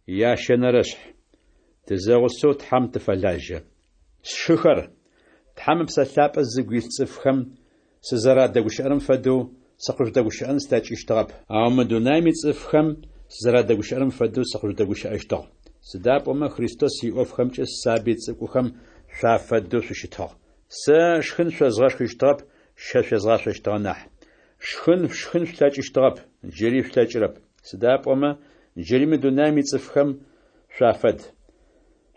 Ящэнэрэшъхь. Тызэгъусэу Тхьэм тыфэлажьэ. Сшыхэр, Тхьэм Ыпсэ Лъапӏэ зыгу илъ цӏыфхэм сызэрадэгущыӏэрэм фэдэу сыкъыжъудэгущыӏэн слъэкӏыщтыгъэп, ау мы дунаем ицӏыфхэм сызэрадэгущыӏэрэм фэдэу сыкъыжъудэгущыӏэщтыгъ. Сыда пӏомэ Христос иӏофхэмкӏэ сабый цӏыкӏухэм шъуафэдэу шъущытыгъ. Сэ шхын шъозгъэшхыщтыгъэп, щэ шъуезгъашъощтыгъэ нахь. Шхын шъушхын шъулъэкӏыщтыгъэп, джыри шъулъэкӏырэп, сыда пӏомэ джыри мы дунаем ицӏыфхэм шъуафэд.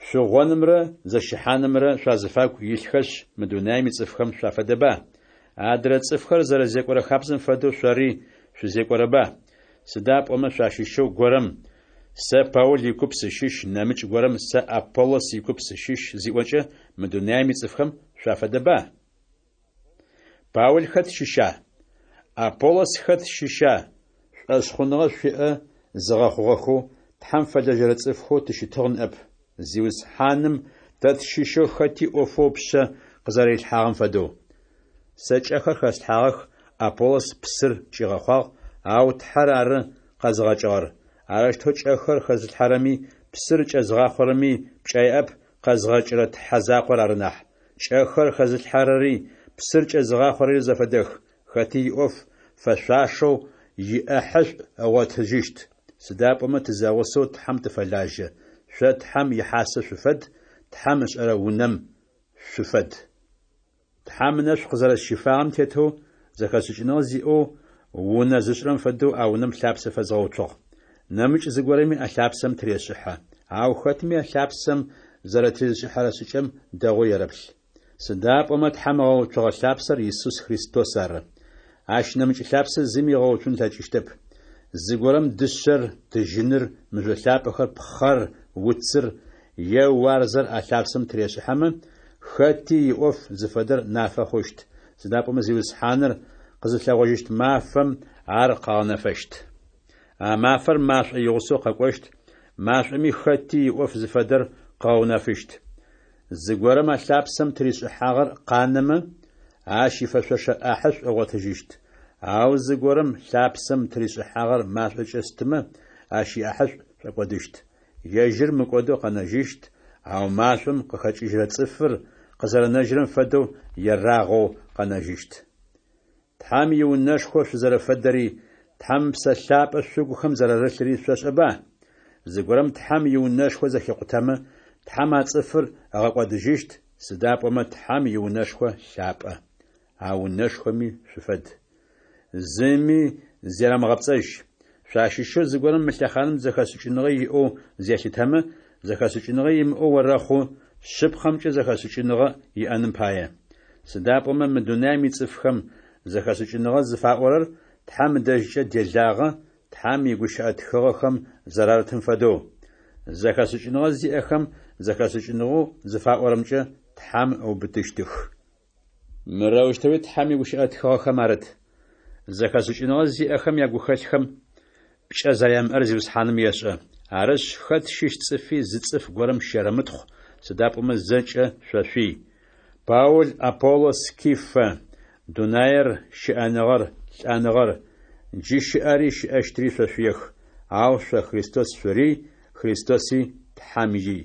Шъугъонымрэ зэщыхьанымрэ шъуазыфагу илъхэшъ, мы дунаем ицӏыфхэм шъуафэдэба? Адрэ цӏыфхэр зэрэзекӏорэ хабзэм фэдэу шъори шъузекӏорэба? Сыда пӏомэ шъуащыщэу горэм Сэ Паул икуп сыщыщ, нэмыкӏ горэм Сэ Аполлос икуп сыщыщ зиӏокӏэ, мы дунаем ицӏыфхэм шъуафэдэба? Паул хэт щыща? Аполлос хэт щыща? Шӏошъхъуныгъэ шъуиӏэ зыгъэхъугъэхэу, Тхьэм фэлэжьэрэ цӏыфхэу тыщытыгъ ныӏэп, Зиусхьаным тэ тщыщэу хэти ӏофэу ыпшъэ къызэрэрилъхьагъэм фэдэу. Сэ кӏэхэр хэслъхьагъэх, Аполлос псыр кӏигъэхъуагъ, ау Тхьэр ары къэзыгъэкӏыгъэр. Арэущтэу кӏэхэр хэзылъхьэрэми псыр кӏэзыгъахъорэми пкӏэ яӏэп, къэзгъэкӏырэ Тхьэ закъор ары нахь. Кӏэхэр хэзылъхьэрэри псыр кӏэзыгъахъорэри зэфэдэх, хэти иӏоф фэшъуашэу иӏэхьышӏу ыгъотыжьыщт. Сыда пӏомэ тызэгъусэу Тхьэм тыфэлажьэ. Шъо Тхьэм ихьасэ шъуфэд, Тхьэм ышӏэрэ унэм шъуфэд. Тхьэм ынэшӏу къызэрэсщифагъэм тетэу, зэхэшӏыкӏыныгъэ зиӏэу унэ зышӏырэм фэдэу а унэм лъапсэ фэзгъэуцугъ. Нэмыкӏ зыгорэми а лъапсэм тырешӏыхьэ. Ау хэтми а лъапсэм зэрэтезышӏыхьэрэ шӏыкӏэм дэгъоу ерэплъ. Сыда пӏомэ Тхьэм ыгъэуцугъэ лъапсэр Исус Христос ары. Ащ нэмыкӏ лъапсэ зыми ыгъэуцун ылъэкӏыщтэп. Зыгорэм дышъэр, тыжьыныр, мыжъо лъапӏэхэр, пхъэр, уцыр е уарзэр а лъапсэм тырешӏыхьэмэ, хэти иӏоф зыфэдэр нафэ хъущт, сыда пӏомэ Зиусхьаныр къызылъэгъожьыщт мафэм ар къыгъэнэфэщт. А мафэр машӏо игъусэу къэкӏощт, машӏоми хэти иӏоф зыфэдэр къыгъэунэфыщт. Зыгорэм а лъапсэм тыришӏыхьагъэр къанэмэ, ащ ифэшъошэ ӏахьышӏу ыгъотыжьыщт. Ау зыгорэм лъапсэм тыришӏыхьагъэр машӏокӏэ стымэ, ащ иӏахьышӏу шӏокӏодыщт. Ежьыр мыкӏодэу къэнэжьыщт, ау машӏом къыхэкӏыжьырэ цӏыфыр къызэрэнэжьырэм фэдэу ерагъэу къэнэжьыщт. Тхьэм иунэшхо шъузэрэфэдэри, Тхьэм Ыпсэ Лъапӏэ шъугухэм зэрарылъри шъошӏэба? Зыгорэм Тхьэм иунэшхо зэхикъутэмэ, Тхьэм а цӏыфыр ыгъэкӏодыжьыщт, сыда пӏомэ Тхьэм иунэшхо лъапӏэ. А унэшхоми шъуфэд. Зыми зерэмыгъэпцӏэжь. Шъуащыщэу зыгорэм мы лъэхъаным зэхэшӏыкӏыныгъэ иӏэу зелъытэмэ, зэхэшӏыкӏыныгъэ имыӏэу орэхъу, шъыпкъэмкӏэ зэхэшӏыкӏыныгъэ иӏэным пае. Сыда пӏомэ мы дунаем ицӏыфхэм зэхэшӏыкӏыныгъэ зыфаӏорэр Тхьэм ыдэжькӏэ делагъэ, Тхьэм игущыӏэ тхыгъэхэм зэрарытым фэдэу. Зэхэшӏыкӏыныгъэ зиӏэхэм зэхэшӏыкӏыныгъэу зыфаӏорэмкӏэ Тхьэм ыубытыщтых. Мырэущтэуи Тхьэм игущыӏэ тхыгъэхэм арыт: Зэхэшӏыкӏыныгъэ зиӏэхэм ягухэлъхэм пкӏэ зэрямыӏэр Зиусхьаным ешӏэ. Арышъ, хэт щыщ цӏыфи зы цӏыф горэм щерэмытхъу, сыда пӏомэ зэкӏэ шъошъуий. Паул, Аполлос, Кифэ, дунаер, щыӏэныгъэр, лӏэныгъэр, джы щыӏэри щыӏэщтри шъошъуех, ау шъо Христос шъурий, Христоси Тхьэм ий.